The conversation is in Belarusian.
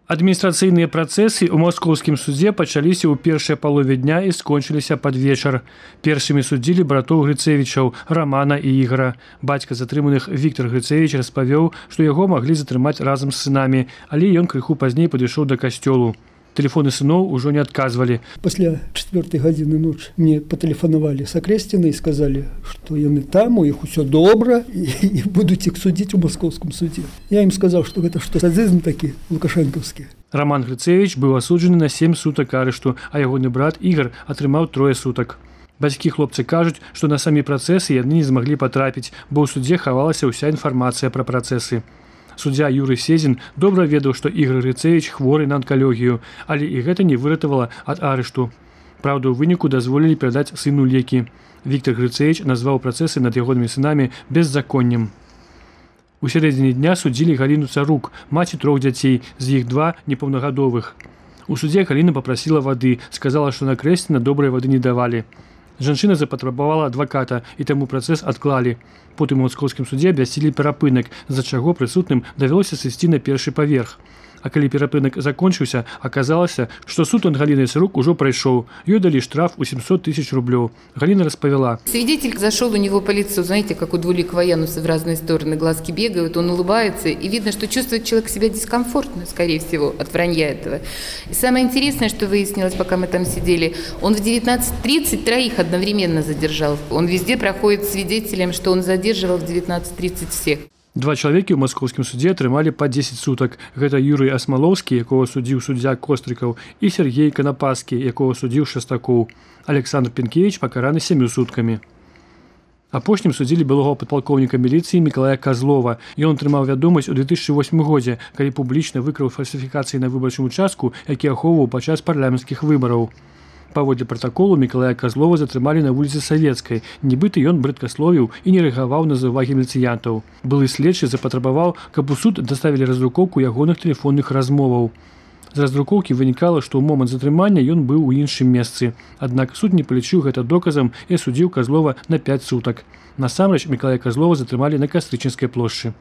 Адміністрацыйныя працэсы ў маскоўскім судзе пачаліся ў першай палове дня і скончыліся пад вечар. Першымі судзілі братоў Грыцевічаў Рамана і Ігара. Бацька затрыманых Віктор Грыцевіч распавёў, што яго маглі затрымаць разам з сынамі, але ён крыху пазней падышоў да касцёлу. Тэлефоны сыноў ужо не адказвалі. Пасля 4 гадзіны ночы мне патэлефанавалі з Акрэсціны і сказалі, што яны там, у іх усё добра і будуць іх судзіць у маскоўскім судзе. Я ім сказаў, што гэта што садызм такі лукашэнкаўскі. Раман Грыцевіч быў асуджаны на 7 сутак арышту, а ягоны брат Ігар атрымаў 3 сутак. Бацькі хлопцы кажуць, што на самі працэсы яны не змаглі патрапіць, бо ў судзе хавалася ўся інфармацыя пра працэсы. Суддзя Юрый Сезін добра ведаў, што Ігар Грыцевіч хворы на анкалогію, але і гэта не выратавала ад арышту. Праўда, у выніку дазволілі перадаць сыну лекі. Віктор Грыцевіч назваў працэсы над ягонымі сынамі беззаконнем. У сярэдзіне дня судзілі Галіну Царук, маці 3 дзяцей, з іх 2 непаўнагадовых. У судзе Галіна папрасіла вады, сказала, што на Крэсціна добрай вады не давалі. Жанчына запатрабавала адваката, і таму працэс адклалі. Потым у маскоўскім судзе абвясцілі перапынак, з-за чаго прысутным давялося сысці на першы паверх. А калі перапынак закончыўся, аказалася, што суд над Галінай Царук ужо прайшоў. Ёй далі штраф у 700 000 рублёў. Галина распавяла. Свидетель зашел у него по лицу, знаете, как у двуликого Януса в разные стороны, глазки бегают, он улыбается, и видно, что чувствует человек себя дискомфортно, скорее всего, от вранья этого. И самое интересное, что выяснилось, пока мы там сидели, он в 19:30 3 одновременно задержал. Он везде проходит свидетелем, что он задерживал в 19:30 всех. 2 чалавекі ў маскоўскім судзе атрымалі па 10 сутак. Гэта Юрый Асмалоўскі, якога судзіў суддзя Кострыкаў, і Сергей Канапаскі, якога судзіў Шастакоў. Александр Пенкевіч пакараны 7 суткамі. Апошнім судзілі былога падпалкоўніка міліцыі Мікалая Казлова. Ён атрымаў вядомасць у 2008 годзе, калі публічна выкраў фальсіфікацыі на выбарчым участку, які ахоўваў падчас парламенцкіх выбараў. Паводле пратаколу Мікалая Казлова затрымалі на вуліцы Савецкай. Нібыта ён брыдкасловіў і не рэагаваў на заўвагі міліцыянтаў. Былы следчы запатрабаваў, каб у суд даставілі раздрукоўку ягоных тэлефонных размоваў. З раздрукоўкі вынікала, што ў момант затрымання ён быў у іншым месцы. Аднак суд не палічыў гэта доказам і асудзіў Казлова на 5 сутак. Насамрэч Мікалая Казлова затрымалі на Кастрычніцкай плошчы.